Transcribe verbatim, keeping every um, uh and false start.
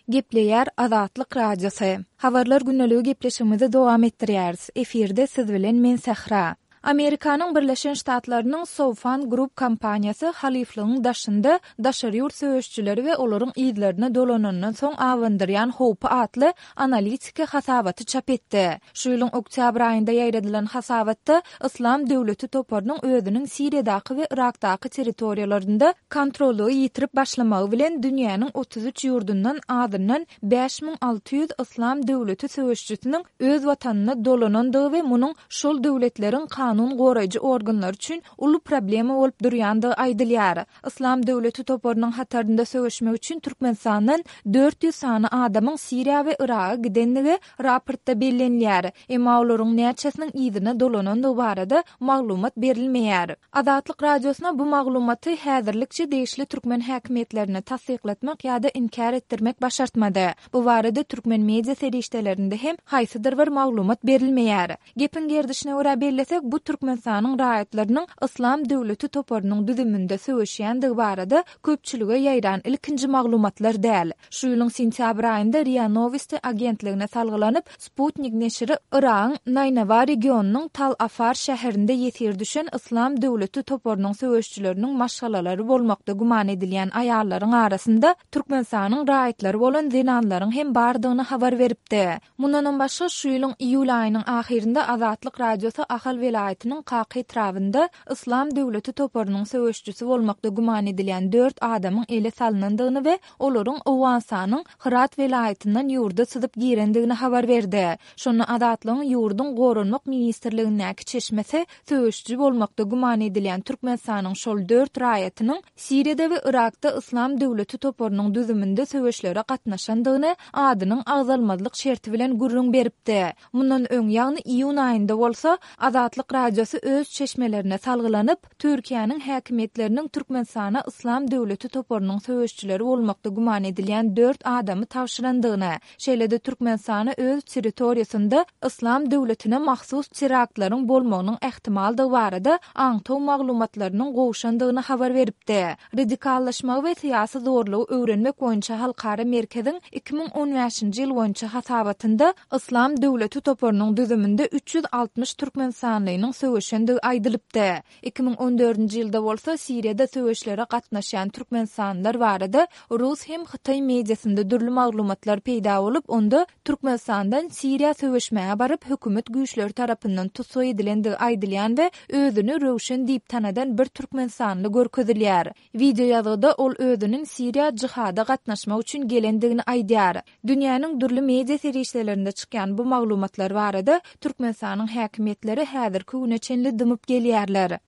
Gepleýär Azatlyk Radiosy. Habarlar gündeligi gepleşigimizi dowam etdirýäris. Efirde siz bilen men Sähra. Amerikanyň Birleşen Ştatlarynyň Soufan Group kompaniýasy halyflygyň daşynda daşary ýurt söweşijileri we olaryň yzlaryna dolanandan soň abandyrýan howpy atly analitiki hasabaty çap etdi. Şu ýylyň oktýabr aýynda ýaýradylan hasabatda Yslam döwleti toparynyň özüniň Siriýadaky we Yrakdaky territoriýalarynda kontrollygy ýitirip başlamagy bilen dünýäniň otuz üç ýurdundan azyndan bäş müň alty ýüz Yslam döwleti söweşijisiniň öz watanyna dolanandygy we munuň şol döwletleriň kanun goraýjy organlary üçin uly problema bolup durýandygy aýdylýar. Yslam döwleti toparynyň hatarynda söweşmek üçin Türkmenistandan dört ýüz sany adamyň Siriýa we Yraga gidenligi raportda bellenilýär. Emma olaryň näçesiniň yzyna dolanandygy barada maglumat berilmeýär. Azatlyk Radiosyna bu maglumaty häzirlikçe degişli türkmen häkimiýetlerine tassyklatmak ýa-da inkär etdirmek başartmady. Bu barada türkmen media serişdelerinde hem haýsydyr bir maglumat berilmeýär. Gepiň gerdişine görä bellesek, bu Türkmenistanyň raýatlarynyň Yslam döwleti toparynyň düzüminde söweşýändigi barada köpçülige ýaýran ilkinji maglumatlar däl. Şu ýylyň sentýabr aýynda RIA Nowosti agentligine salgylanyp, Sputnik neşiri Yragyň Naýnawa regionynyň Tal Afar şäherinde ýesir düşen Yslam döwleti toparynyň söweşijileriniň maşgalalary bolmakda güman edilýän aýallaryň arasynda Türkmenistanyň raýatlary bolan zenanlaryň hem bardygyny habar beripdi. Mundanam başga, şu ýylyň iýul aýynyň ahyrynda Azatlyk Radiosy Ahal welaýatynyň Kaka etrabynda Yslam döwleti toparynyň söweşijisi bolmakda güman edilýän dört adamyň ele salnandygyny we olaryň Owganystanyň Hyrat welaýatyndan ýurda syzyp girendigini habar berdi. Şonda Azatlygyň ýurduň Goranmak ministrligindäki çeşmesi söweşiji bolmakda güman edilýän Türkmenistanyň şol dört raýatynyň Siriýada we Yrakda Yslam döwleti toparynyň düzüminde söweşlere gatnaşandygyny adynyň agzalmazlyk şerti bilen gürrüň beripdi. Mundan öň, ýagny iýun aýynda bolsa, Azatlyk Radiosy öz çeşmelerine salgylanyp, Türkiýäniň häkimiýetleriniň Türkmenistana Yslam döwleti toparynyň söweşijileri bolmakda güman edilýän dört adamy tabşyrandygyny, şeýle-de Türkmenistana öz territoriýasynda Yslam döwletine mahsus teraktlaryň bolmagynyň ähtimaldygy barada aňtaw maglumatlarynyň gowşandygyny habar beripdi. Radikallaşmagy we syýasy zorlugy öwrenmek boýunça halkara merkeziň iki müň on bäşinji ýyl boýunça hasabatynda Yslam döwleti toparynyň düzüminde üç ýüz altmyş türkmenistanlynyň söweşendigi aýdylypdy. Iki müň on dördünji ýylda bolsa Siriýada söweşlere gatnaşýan türkmenistanlylar barada rus hem hytaý mediasynda dürli maglumatlar peýda bolup, onda Türkmenistandan Siriýa söweşmäge baryp, hökümet güýçleri tarapyndan tussag edilendigi aýdylýan we özüni Röwşen diýip tanadan bir türkmenistanly görkezilýär. Wideo ýazgyda ol özüniň Siriýa jihada gatnaşmak üçin gelendigini aýdýar. Dünýäniň dürli media serişdelerinde çykýan bu maglumatlar barada Türkmenistanyň häkimiýetleri häzirki güne çenli dymyp gelýärler.